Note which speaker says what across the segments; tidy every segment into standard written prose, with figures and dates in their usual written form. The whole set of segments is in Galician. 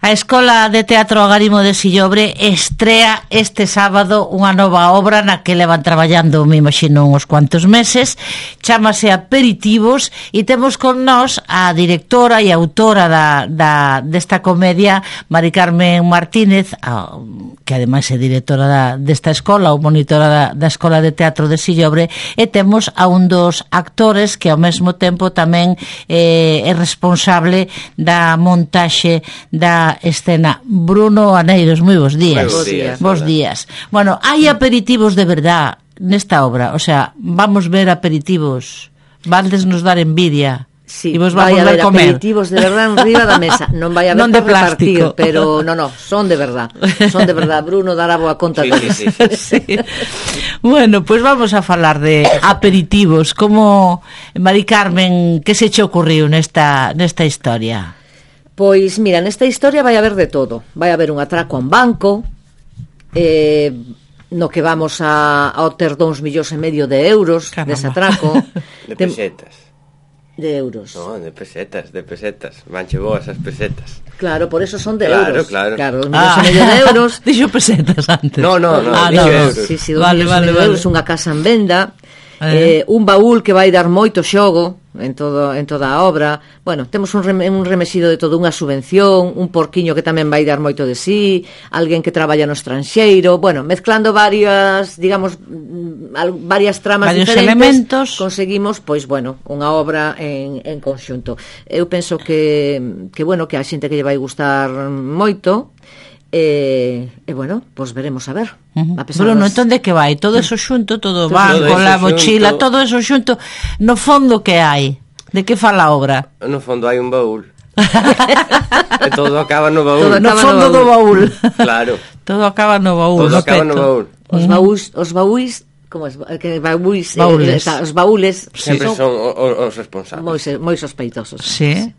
Speaker 1: A Escola de Teatro Agarimo de Sillobre estrea este sábado unha nova obra na que levan traballando, me imagino, uns cuantos meses. Chámase Aperitivos e temos con nós a directora e autora desta comedia, Mari Carmen Martínez, que ademais é directora desta escola ou monitora da Escola de Teatro de Sillobre, e temos a un dos actores que ao mesmo tempo tamén é responsable da montaxe da escena, Bruno Aneiros. Moi bons días. Bos días. Bueno, hai aperitivos de verdad nesta obra, o sea, vamos ver aperitivos, vandes nos dar envidia.
Speaker 2: Sí,
Speaker 1: e vos vamos
Speaker 2: vai haber
Speaker 1: comer
Speaker 2: aperitivos de verdad en riba da mesa. Non vai haber
Speaker 1: non de
Speaker 2: para
Speaker 1: plástico,
Speaker 2: repartir, pero no, son de verdad. Son de verdad. Bruno dará boa conta de
Speaker 3: sí.
Speaker 1: Sí. Bueno, pues vamos a falar de aperitivos. Como, Mari Carmen, que se che ocurriu nesta historia?
Speaker 2: Pois, mira, nesta historia vai haber de todo. Vai haber un atraco a un banco, no que vamos a obter 2,5 millóns de euros. Caramba. Dese atraco.
Speaker 3: De pesetas.
Speaker 2: De euros.
Speaker 3: No, de pesetas. Vanche boas as pesetas.
Speaker 2: Claro, por eso son de euros.
Speaker 3: Claro.
Speaker 2: 2,5 millóns de euros.
Speaker 1: Dixo pesetas antes.
Speaker 3: No, euros.
Speaker 2: Sí, 2,5 millóns de euros, unha casa en venda. Un baúl que vai dar moito xogo en toda a obra. Bueno, temos un remesido de todo, unha subvención, un porquiño que tamén vai dar moito de sí, alguén que traballa no estranxeiro. Bueno, mezclando varias tramas
Speaker 1: varios
Speaker 2: diferentes,
Speaker 1: elementos,
Speaker 2: conseguimos, pois, bueno, unha obra en conxunto. Eu penso que bueno, que a xente que lle vai gustar moito. Bueno, pois veremos a ver.
Speaker 1: Bruno, entón de que vai? Todo eso xunto, todo banco, la mochila, todo eso xunto. No fondo, que hai? De que fala a obra?
Speaker 3: No fondo hai un baúl. E todo acaba no baúl.
Speaker 1: No fondo do baúl.
Speaker 3: Claro.
Speaker 1: Todo acaba no baúl.
Speaker 3: Todo acaba no baúl.
Speaker 2: Os baúis, como es que baúis, os baúles
Speaker 3: sempre son os responsables.
Speaker 2: Moi sospeitosos.
Speaker 1: Sí.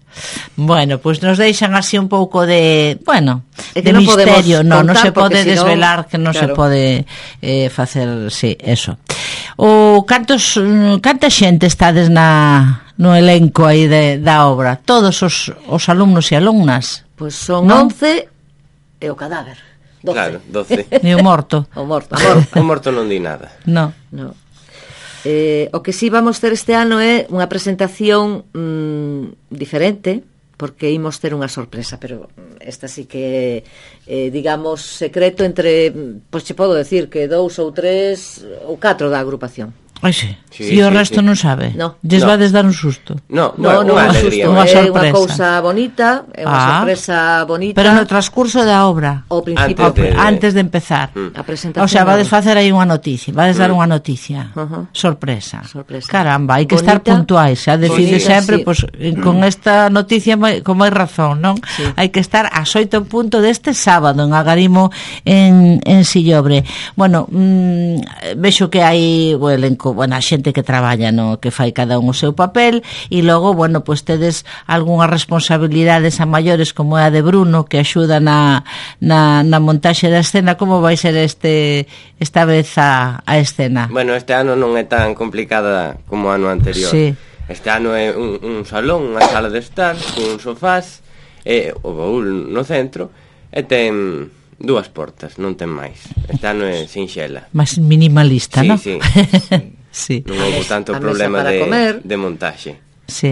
Speaker 1: Bueno, pues nos deixan así un pouco de, bueno, de
Speaker 2: non
Speaker 1: misterio, non se pode
Speaker 2: si
Speaker 1: desvelar, que non se pode facer, sí, eso. Canta xente estades no elenco aí da obra? Todos os alumnos e alumnas?
Speaker 2: Pois son 11 e o cadáver. 12.
Speaker 3: Claro, 12.
Speaker 1: E o morto.
Speaker 2: O morto
Speaker 3: non di nada.
Speaker 1: No.
Speaker 2: O que sí vamos ter este ano é unha presentación diferente, porque imos ter unha sorpresa, pero esta sí que digamos secreto entre, pois che podo decir que 2 ou 3 ou 4 da agrupación.
Speaker 1: Ai, sí. E o resto non sabe?
Speaker 2: No.
Speaker 1: Lles vades dar un susto?
Speaker 2: No, unha alegría. É unha cousa bonita, é unha sorpresa bonita.
Speaker 1: Pero no transcurso da obra?
Speaker 2: Ao principio.
Speaker 1: Antes de empezar.
Speaker 2: A presentación.
Speaker 1: O sea, vades facer aí unha noticia, vades dar unha noticia. Sorpresa. Caramba, hai que estar puntuais. Xa decide sempre, pues, con esta noticia con máis razón, non?
Speaker 2: Sí.
Speaker 1: Hai que estar ás 8 en punto deste sábado en Agarimo en Sillobre. Bueno, vexo que hai o elenco, a xente que traballa, no, que fai cada un o seu papel, e logo, bueno, pues tedes algunhas responsabilidades a maiores, como é a de Bruno, que axuda na montaxe da escena. Como vai ser esta vez a escena?
Speaker 3: Bueno, este ano non é tan complicada como o ano anterior.
Speaker 1: Sí.
Speaker 3: Este ano é un salón, unha sala de estar, con sofás, e o baúl no centro, e ten 2 portas, non ten máis. Este ano é sinxela.
Speaker 1: Máis minimalista, non?
Speaker 3: Sí.
Speaker 1: Sí.
Speaker 3: Non houve tanto problema de montaxe.
Speaker 1: Sí.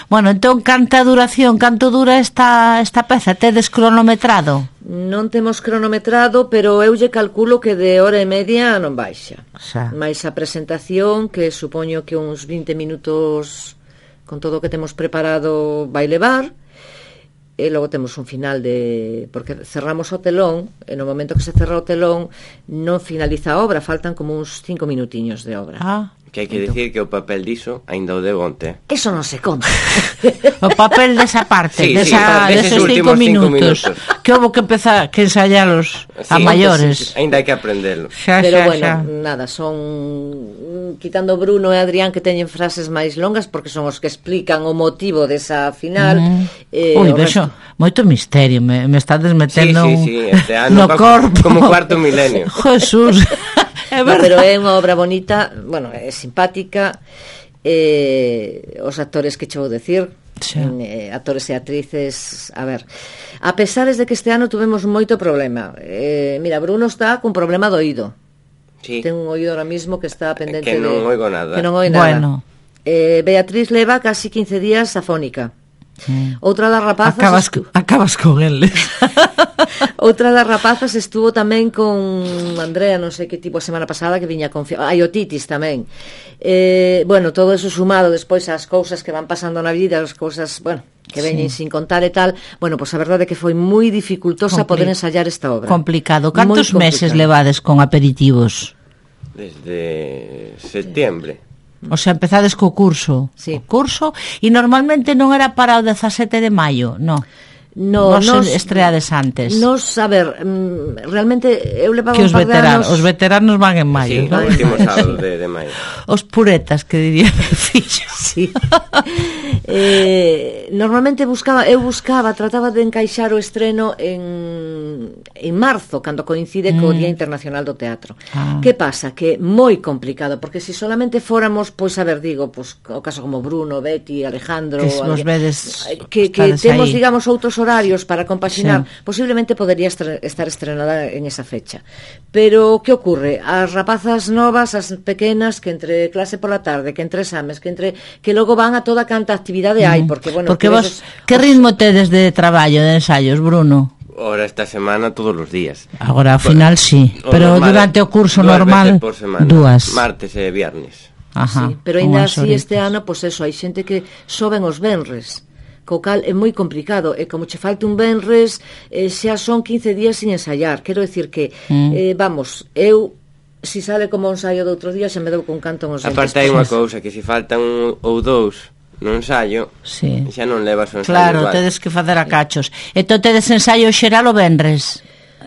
Speaker 1: Bueno, entón, canto dura esta peza? Tedes cronometrado?
Speaker 2: Non temos cronometrado, pero eu lle calculo que de hora e media non baixa. Mais a presentación, que supoño que uns 20 minutos con todo o que temos preparado vai levar. E logo temos un final porque cerramos o telón, e no momento que se cerra o telón non finaliza a obra, faltan como uns 5 minutiños de obra.
Speaker 3: Que hai que dicir que o papel diso ainda o de onte.
Speaker 2: Eso non se conta.
Speaker 1: O papel desa parte, deses 5 minutos que houve que empezar, que ensayalos a maiores.
Speaker 3: Ainda hai que aprendelo.
Speaker 2: Pero bueno, nada, son quitando Bruno e Adrián, que teñen frases máis longas, porque son os que explican o motivo desa final.
Speaker 1: Ui, vexo, moito misterio, me estades metendo
Speaker 3: este ano
Speaker 1: no corpo.
Speaker 3: Como cuarto milenio.
Speaker 1: Jesús.
Speaker 2: Pero é unha obra bonita, bueno, é simpática, os actores que che vou decir, actores e actrices. A ver, a pesares de que este ano tuvemos moito problema, mira, Bruno está con problema do oído.
Speaker 3: Sí.
Speaker 2: Ten un oído ahora mismo que está pendente
Speaker 3: que non oigo nada.
Speaker 2: Que non oigo nada.
Speaker 1: Bueno.
Speaker 2: Beatriz leva casi 15 días afónica. Outra das rapazas
Speaker 1: acabas con el.
Speaker 2: Outra das rapazas estuvo tamén con Andrea, non sei que tipo a semana pasada, que viña con a otitis tamén. Bueno, todo eso sumado despois ás cousas que van pasando na vida, as cousas, bueno, que veñen sin contar e tal. Bueno, pois a verdade é que foi moi dificultosa poder ensayar esta obra.
Speaker 1: Complicado. Cantos meses levades con aperitivos?
Speaker 3: Desde setembro.
Speaker 1: O sea, empezades co curso.
Speaker 2: Sí.
Speaker 1: O curso, e normalmente non era para o 17 de maio, non?
Speaker 2: No,
Speaker 1: nos estreades antes.
Speaker 2: Nos, a ver, realmente eu levaba
Speaker 1: que
Speaker 2: un par de anos.
Speaker 1: Os veteranos van en maio,
Speaker 3: sí, ¿no? O último sábado de maio.
Speaker 1: Os puretas, que diría meu fillo.
Speaker 2: Sí. Normalmente trataba de encaixar o estreno en marzo, cando coincide co Día Internacional do Teatro. Que pasa? Que moi complicado, porque se solamente fóramos, pois a ver, digo, pois o caso como Bruno, Betty, Alejandro,
Speaker 1: que vos vedes
Speaker 2: que temos, digamos, outros horarios para compaxinar, sí. Posiblemente podería estar estrenada en esa fecha. Pero que ocurre? As rapazas novas, as pequenas, que entre clase pola tarde, que entre exames, que logo van a toda canta actividade hai, porque, bueno...
Speaker 1: Porque vos, que ritmo tedes de traballo, de ensaios, Bruno?
Speaker 3: Ahora esta semana todos os días.
Speaker 1: Agora, ao final, sí. Pero durante o curso normal, dúas.
Speaker 3: Martes e viernes.
Speaker 1: Ajá,
Speaker 2: sí, pero ainda así este ano, pois eso, hai xente que soben os venres, co cal é moi complicado, e como che falte un venres, xa son 15 días sin ensayar. Quero decir que, vamos, eu, si sale como un ensaio de outro día, xa me dou con canto nos dentes.
Speaker 3: Aparte hai unha cousa, que se faltan un ou dous no ensayo,
Speaker 1: sí.
Speaker 3: Xa non levas o ensayo
Speaker 1: claro,
Speaker 3: igual.
Speaker 1: Tedes que facer a cachos. Entón tedes ensaio xeral o venres.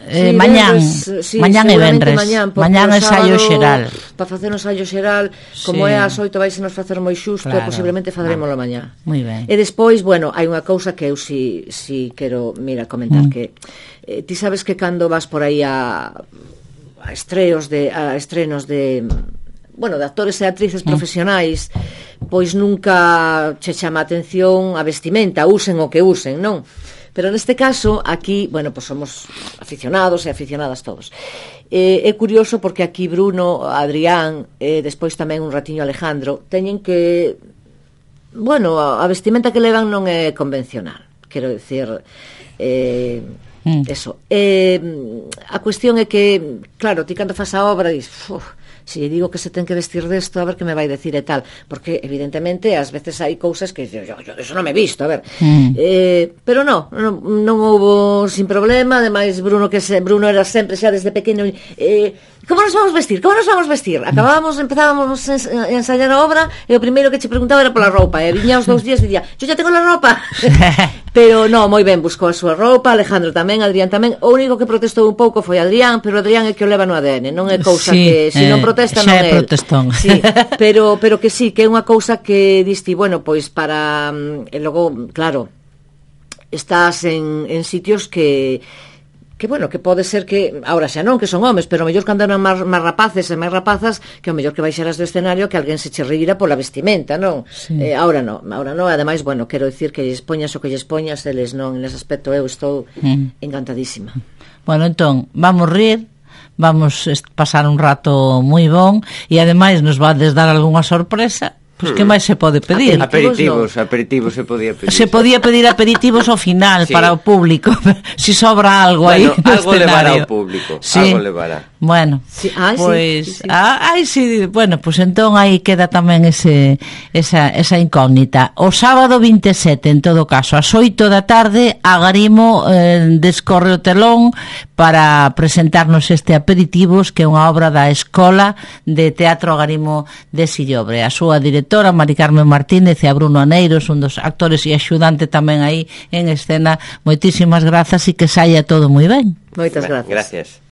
Speaker 2: Sí,
Speaker 1: mañán,
Speaker 2: sí,
Speaker 1: mañán e venres. Mañán ensaio xeral.
Speaker 2: Para facer un ensayo xeral, como é ás 8 vais a nos facer moi xusto, claro, posiblemente fadaremoslo mañá.
Speaker 1: Moi ben.
Speaker 2: E despois, bueno, hai unha cousa que eu si quero, mira, comentar, que ti sabes que cando vas por aí a estrenos de bueno, de actores e actrices profesionais, pois nunca che chama a atención a vestimenta, usen o que usen, non? Pero neste caso, aquí, bueno, pues somos aficionados e aficionadas todos. É curioso porque aquí Bruno, Adrián, despois tamén un ratiño Alejandro, teñen que... Bueno, a vestimenta que levan non é convencional. Quero dicir... Eso. A cuestión é que, claro, ti cando fas a obra dis... Si digo que se ten que vestir desto, a ver que me vai decir e tal, porque evidentemente ás veces hai cousas que yo eso non me he visto, a ver. Pero non houbo sin problema. Ademais Bruno Bruno era sempre xa desde pequeno, como nos vamos vestir? Empezábamos a ensayar a obra e o primeiro que che preguntaba era pola roupa, e viña os 2 días e dicía, yo ya tengo la roupa. Pero non, moi ben, buscou a súa roupa, Alejandro tamén, Adrián tamén. O único que protestou un pouco foi Adrián, pero Adrián é que o leva no ADN, non é cousa que se non protesta non é
Speaker 1: protestón.
Speaker 2: Sí, pero que sí, que é unha cousa que diste, bueno, pois para e logo, claro, estás en sitios que bueno, que pode ser que agora xa non, que son homes, pero mellor cando eran máis rapaces e máis rapazas, que o mellor que baixaras do escenario que alguén se che reíra pola vestimenta, non? Sí. Agora non, ademais, bueno, quero dicir que lles poñas o que lles poñas, eles non, nese aspecto eu estou encantadísima.
Speaker 1: Bueno, entón, vamos rir, vamos pasar un rato moi bon, e ademais nos vades dar algunha sorpresa. Pois que máis se pode pedir?
Speaker 3: Aperitivos se podía pedir.
Speaker 1: Se podía pedir aperitivos ao final, sí, para o público. Si sobra algo aí no
Speaker 3: algo
Speaker 1: escenario.
Speaker 3: Levará ao público,
Speaker 1: sí.
Speaker 3: Algo levará.
Speaker 1: Bueno,
Speaker 2: sí.
Speaker 1: Pois sí. Bueno, pois entón aí queda tamén esa incógnita. O sábado 27, en todo caso, ás 8 da tarde, Agarimo descorre o telón para presentarnos este Aperitivos, que é unha obra da Escola de Teatro Agarimo de Sillobre. A súa directora, Mari Carmen Martínez, e a Bruno Aneiros, un dos actores e axudante tamén aí en escena. Moitísimas grazas e que saia todo moi ben.
Speaker 2: Moitas grazas.
Speaker 3: Gracias.